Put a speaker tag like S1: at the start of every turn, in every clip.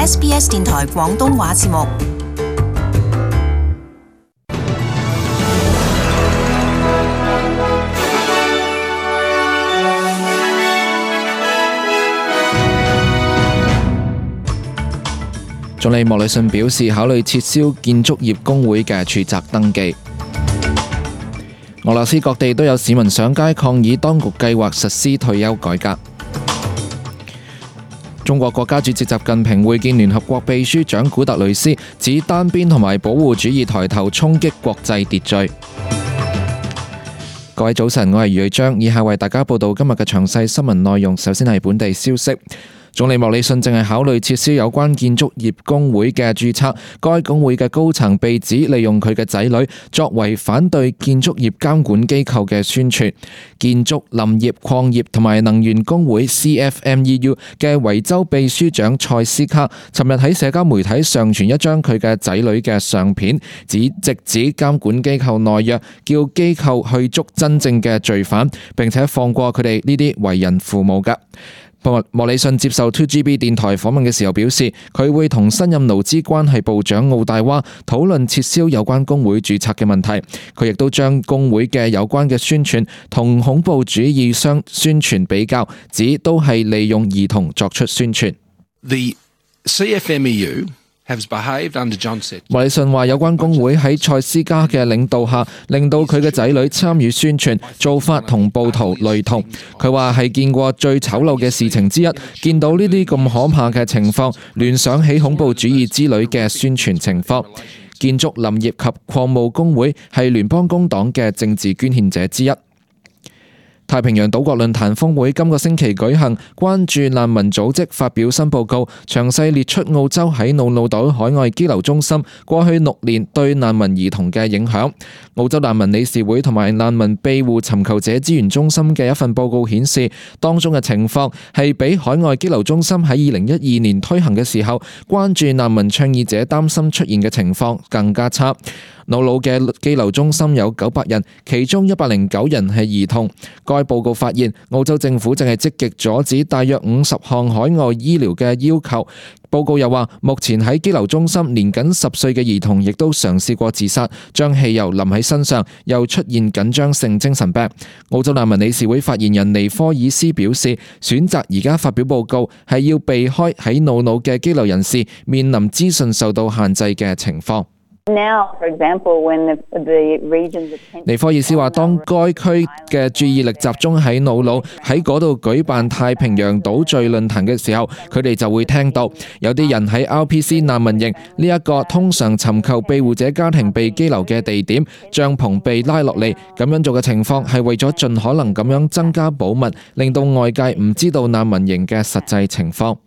S1: SBS 電台廣東話節目。
S2: 總理莫里遜表示，考慮撤銷建築業工會嘅註冊登記。俄羅斯各地都有市民上街抗議當局計劃實施退休改革。中國國家主席習近平會見聯合國秘書長古特雷斯，指單邊同埋保護主義抬頭衝擊國際秩序。各位早晨，我係余瑞章，以下為大家報道今日嘅詳細新聞內容。首先係本地消息。總理莫里遜正係考慮撤銷有關建築業工會嘅註冊，該工會嘅高層被指利用佢嘅仔女作為反對建築業監管機構嘅宣傳。建築、林業、礦業同埋能源工會 CFMEU 嘅維州秘書長塞斯卡尋日喺社交媒體上傳一張佢嘅仔女嘅相片，直指監管機構懦弱，叫機構去捉真正嘅罪犯，並且放過佢哋呢啲為人父母嘅。莫里遜接受 2GB 電台訪問嘅時候表示，佢會同新任勞資關係部長奧大娃討論撤銷有關工會註冊嘅問題。佢亦都將工會嘅有關嘅宣傳同恐怖主義相宣傳比較，指都係利用兒童作出宣傳。
S3: The CFMEU莫
S2: 里遜話有關工會喺塞斯加嘅領導下，令到佢嘅仔女參與宣傳，做法同暴徒類同。佢話係見過最醜陋嘅事情之一，見到呢啲咁可怕嘅情況，聯想起恐怖主義之類嘅宣傳情況。建築、林業及礦務工會係聯邦工黨嘅政治捐獻者之一。太平洋島國論壇峰會今個星期舉行，關注難民組織發表新報告，詳細列出澳洲喺瑙魯島海外羈留中心過去6年對難民兒童嘅影響。澳洲難民理事會同埋難民庇護尋求者資源中心嘅一份報告顯示，當中嘅情況係比海外羈留中心喺2012年推行嘅時候，關注難民倡議者擔心出現嘅情況更加差。瑙魯嘅羈留中心有900人，其中109人係兒童。該報告發現，澳洲政府正係積極阻止大約50項海外醫療嘅要求。報告又話，目前喺羈留中心年僅10歲嘅兒童亦都嘗試過自殺，將汽油淋喺身上，又出現緊張性精神病。澳洲難民理事會發言人尼科爾斯表示，選擇而家發表報告係要避開喺瑙魯嘅羈留人士面臨資訊受到限制嘅情況。尼科爾斯話，當該區嘅注意力集中喺瑙魯，喺嗰度舉辦太平洋島嶼論壇嘅時候，佢哋就會聽到有啲人喺 RPC 難民營呢一個通常尋求庇護者家庭被羈留嘅地點，帳篷被拉落嚟。咁樣做嘅情況係為咗盡可能咁樣增加保密，令到外界唔知道難民營嘅實際情況。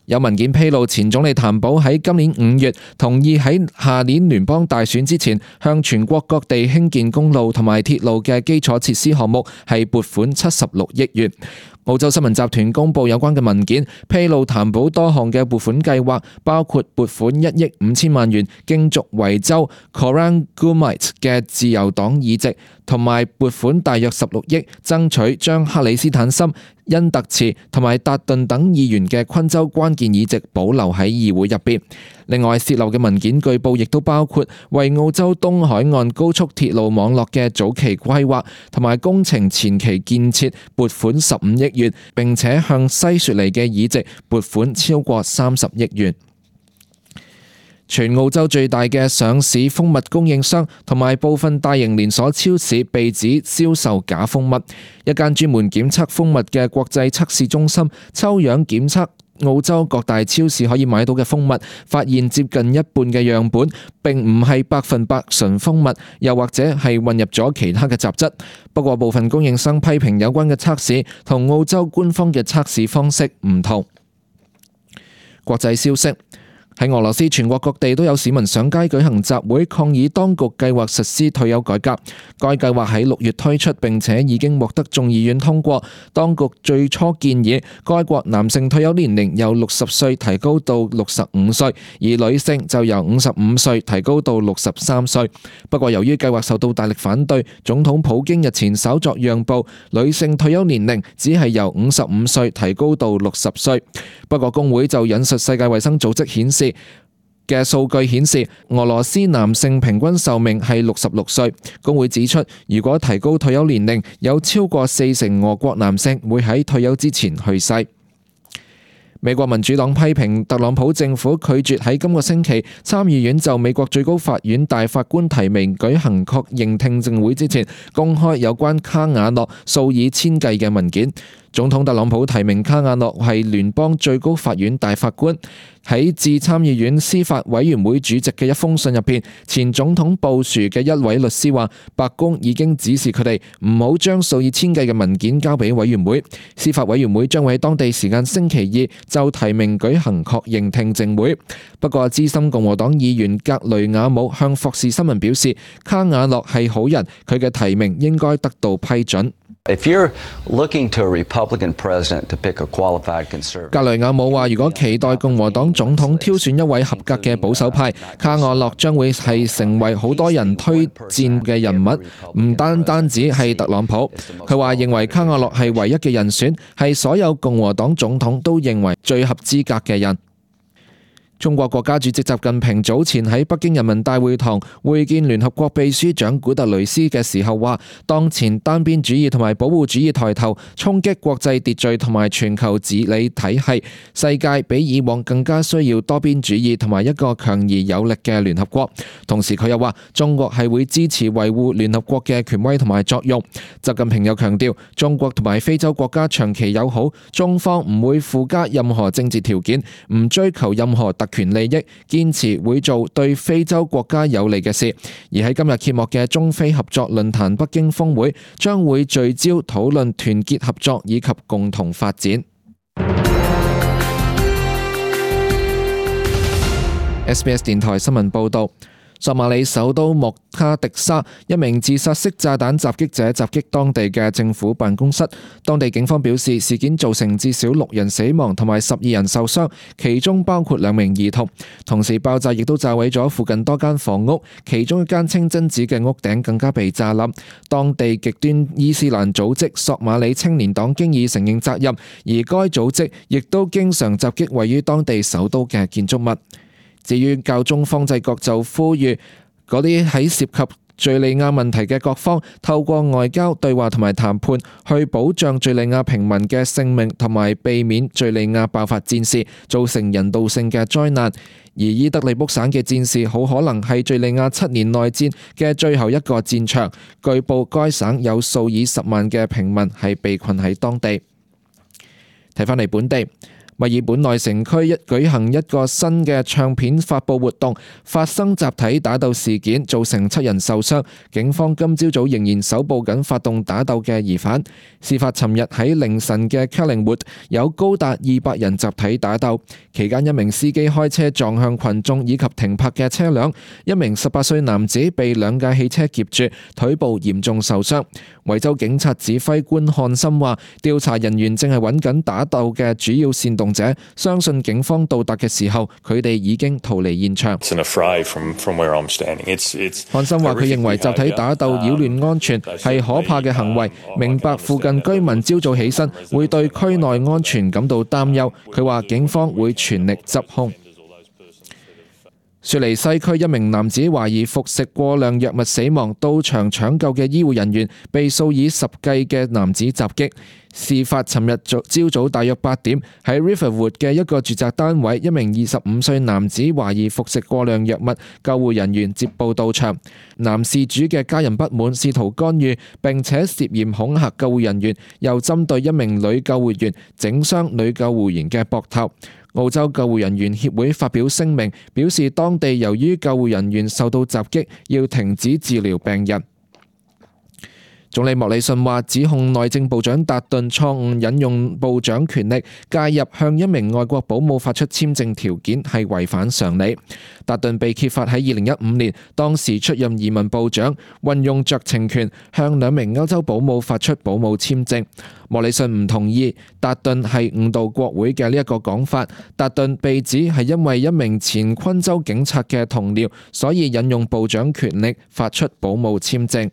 S2: 有文件披露，前總理譚寶喺今年5月同意喺下年聯邦大選之前，向全國各地興建公路同埋鐵路嘅基礎設施項目係撥款76億元。澳洲新聞集團公佈有關嘅文件，披露譚寶多項嘅撥款計劃，包括撥款1億5千萬元競逐維州 Corangamite 嘅自由黨議席，同埋撥款大約16億爭取將克里斯坦森、恩特茨同埋達頓等議員嘅昆州關鍵議席保留喺議會入邊。另外，洩漏嘅文件據報亦都包括為澳洲東海岸高速鐵路網絡嘅早期規劃同埋工程前期建設撥款15億元，並且向西雪梨嘅議席撥款超過30億元。全澳洲最大嘅上市蜂蜜供應商同埋部分大型連鎖超市被指銷售假蜂蜜。一間專門檢測蜂蜜嘅國際測試中心抽樣檢測澳洲各大超市可以買到嘅蜂蜜，發現接近一半嘅樣本並唔係100%純蜂蜜，又或者係混入咗其他嘅雜質。不過部分供應商批評有關嘅測試同澳洲官方嘅測試方式唔同。國際消息。喺俄羅斯全國各地都有市民上街舉行集會，抗議當局計劃實施退休改革。該計劃喺6月推出，並且已經獲得眾議院通過。當局最初建議該國男性退休年齡由60歲提高到65歲，而女性就由55歲提高到63歲。不過由於計劃受到大力反對，總統普京日前稍作讓步，女性退休年齡只係由55歲提高到60歲。不過工會就引述世界衛生組織嘅數據顯示，俄羅斯男性平均壽命係66歲。工會指出，如果提高退休年齡，有超過40%俄國男性會喺退休之前去世。美國民主黨批評特朗普政府拒絕喺今個星期參議院就美國最高法院大法官提名舉行確認聽證會之前，公開有關卡瓦諾數以千計嘅文件。總統特朗普提名卡瓦諾係聯邦最高法院大法官。喺致參議院司法委員會主席嘅一封信入邊，前總統布殊嘅一位律師話，白宮已經指示佢哋唔好將數以千計嘅文件交俾委員會。司法委員會將會喺當地時間星期二就提名舉行確認聽證會。不過資深共和黨議員格雷亞姆向霍士新聞表示，卡瓦諾係好人，佢嘅提名應該得到批准。
S4: If you're looking to a Republican president to pick a qualified conservative，
S2: 格雷亞姆話：如果期待共和黨總統挑選一位合格嘅保守派，卡瓦諾將會係成為好多人推薦嘅人物，唔單止係特朗普。佢話認為卡瓦諾係唯一嘅人選，係所有共和黨總統都認為最合資格嘅人。中國國家主席習近平早前喺北京人民大會堂會見聯合國秘書長古特雷斯嘅時候話，當前單邊主義同埋保護主義抬頭，衝擊國際秩序同埋全球治理體系，世界比以往更加需要多邊主義同埋一個強而有力嘅聯合國。同時佢又話，中國係會支持維護聯合國嘅權威同埋作用。習近平又強調，中國同埋非洲國家長期友好，中方唔會附加任何政治條件，唔追求任何特權利益，堅持會做對非洲國家有利嘅事。而喺今日揭幕嘅中非合作論壇北京峰會，將會聚焦討論團結合作以及共同發展。SBS 電台新聞報道。索馬里首都莫卡迪沙一名自殺式炸彈襲擊者襲擊當地嘅政府辦公室，當地警方表示事件造成至少6人死亡同埋12人受傷，其中包括2名兒童。同時爆炸亦都炸毀咗附近多間房屋，其中一間清真寺嘅屋頂更加被炸冧。當地極端伊斯蘭組織索馬里青年黨經已承認責任，而該組織亦都經常襲擊位於當地首都嘅建築物。至於教宗方濟各就呼籲嗰啲喺涉及敘利亞問題嘅各方透過外交對話同埋談判去保障敘利亞平民嘅性命同埋避免敘利亞爆發戰事，造成人道性嘅災難。而伊德利卜省嘅戰事好可能係敘利亞7年內戰嘅最後一個戰場，據報該省有數以10萬嘅平民係被困喺當地。睇返嚟本地。墨爾本內城區舉行一個新嘅唱片發佈活動，發生集體打鬥事件，造成7人受傷。警方今朝早仍然搜捕緊發動打鬥嘅疑犯。事發尋日喺凌晨嘅 Collingwood， 有高達200人集體打鬥，期間一名司機開車撞向群眾以及停泊嘅車輛，一名18歲男子被2架汽車夾住，腿部嚴重受傷。維州警察指揮官漢森話，調查人員正係揾緊打鬥嘅主要煽動者，相信警方到達嘅時候，佢哋已經逃離現場。漢森話，佢認為集體打鬥擾亂安全係可怕嘅行為，明白附近居民朝早起身會對區內安全感到擔憂。佢話警方會全力執兇。雪梨西區一名男子懷疑服食過量藥物死亡，到場搶救嘅醫護人員被數以10計嘅男子襲擊。事發尋日朝早大約8點，喺 Riverwood 嘅一個住宅單位，一名25歲男子懷疑服食過量藥物，救護人員接報到場。男事主嘅家人不滿，試圖干預並且涉嫌恐嚇救護人員，又針對一名女救護員整傷女救護員嘅膊頭。澳洲救護人員協會發表聲明，表示當地由於救護人員受到襲擊，要停止治療病人。總理莫里遜話，指控內政部長達頓錯誤引用部長權力介入向一名外國保姆發出簽證條件係違反常理。達頓被揭發喺2015年，當時出任移民部長，運用酌情權向2名歐洲保姆發出保姆簽證。莫里遜唔同意達頓係誤導國會嘅呢一個講法。達頓被指係因為一名前昆州警察嘅同僚，所以引用部長權力發出保姆簽證。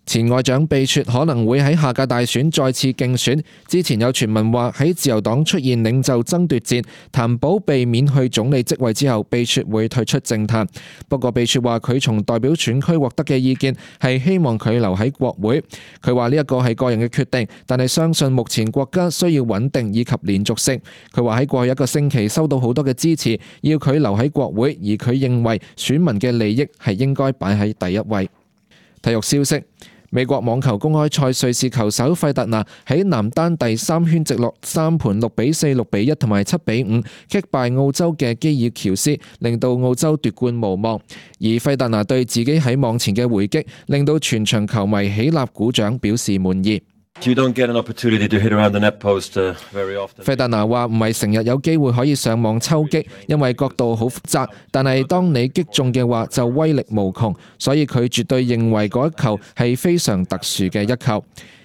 S2: 前外長貝雪可能會喺下屆大選再次競選。之前有傳聞話喺自由黨出現領袖爭奪戰，譚寶被免去總理職位之後，貝雪會退出政壇。不過貝雪話佢從代表選區獲得嘅意見係希望佢留喺國會。佢話呢一個係個人嘅決定，但係相信目前國家需要穩定以及連續性。佢話喺過去一個星期收到好多嘅支持，要佢留喺國會，而佢認為選民嘅利益係應該擺喺第一位。體育消息。美國網球公開賽瑞士球手費達拿喺男單第3圈直落3盤6-4、6-1同埋7-5擊敗澳洲嘅基爾喬斯，令到澳洲奪冠無望。而費達拿對自己喺網前嘅回擊，令到全場球迷起立鼓掌，表示滿意。
S5: 費
S2: 達拿話唔係成日有機會可以上網抽擊，因為角度好複雜，但係當你擊中嘅話就威力無窮，所以佢絕對認為嗰一球係非常特殊嘅一球。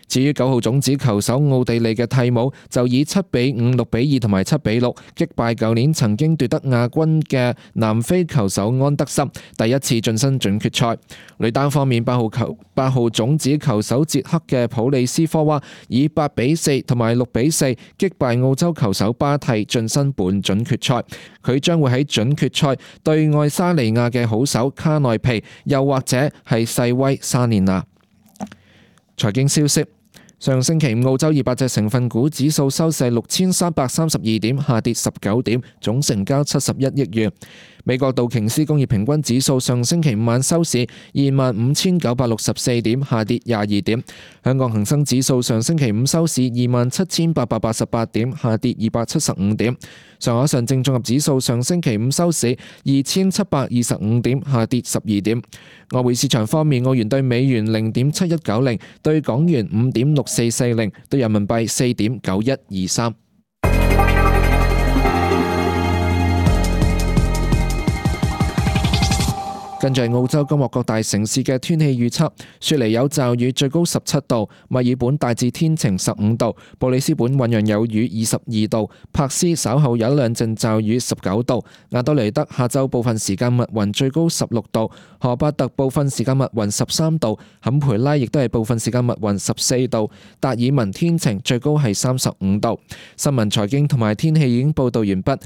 S2: 至於9號種子球手奧地利嘅蒂姆就以7-5、6-2同埋7-6擊敗舊年曾經奪得亞軍嘅南非球手安德森，第一次晉身準決賽。女單方面，8號種子球手捷克嘅普利斯科娃以8-4同埋6-4擊敗澳洲球手巴蒂，晉身半準決賽。佢將會喺準決賽對愛沙尼亞嘅好手卡內皮，又或者係細威沙連娜。財經消息。上星期五，澳洲200隻成分股指數收市6332點，下跌19點，總成交71億元。美國道瓊斯工業平均指數上星期五晚收市25,964點，下跌22點。香港恒生指數上星期五收市27,888點，下跌275點。上海上證綜合指數上星期五收市2,725點，下跌12點。外匯市場方面，澳元對美元0.7190，對港元5.6440，對人民幣4.9123。跟住係澳洲今日各大城市嘅天氣預測：雪梨有驟雨，最高17度；墨爾本大致天晴15度；布里斯本醞釀有雨22度；珀斯稍後有2陣驟雨19度；亞德雷德下晝部分時間密雲，最高16度；荷巴特部分時間密雲13度；坎培拉亦都係部分時間密雲14度；達爾文天晴，最高係35度。新聞財經同埋天氣已經報道完畢。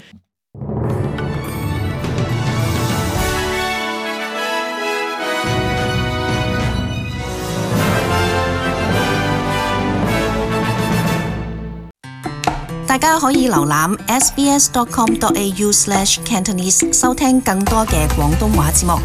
S1: 大家可以瀏覽 sbs.com.au/cantonese 收聽更多嘅廣東話節目。